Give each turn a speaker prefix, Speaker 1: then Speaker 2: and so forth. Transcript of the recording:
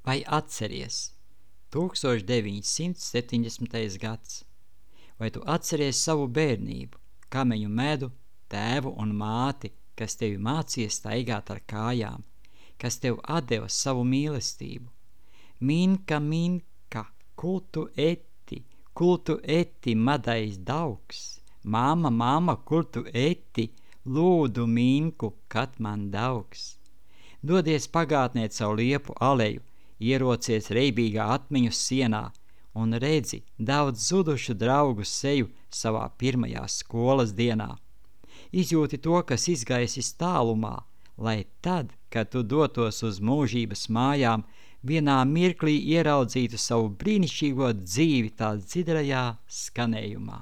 Speaker 1: Vai atceries 1970. gads? Vai tu atceries savu bērnību, kameņu medu, tēvu un māti, kas tevi mācīja staigāt ar kājām, kas tev atdeva savu mīlestību? Minka, minka, kultu eti, madais daugs. Māma, māma, kur tu eti, lūdu minku, kad man daugs. Dodies pagātnē caur liepu aleju, ierocies reibīgā atmiņu sienā un redzi daudz zudušu draugu seju savā pirmajā skolas dienā. Izjūti to, kas izgaisis tālumā, lai tad, kad tu dotos uz mūžības mājām, vienā mirklī ieraudzītu savu brīnišķīgo dzīvi tā dzidrajā skanējumā.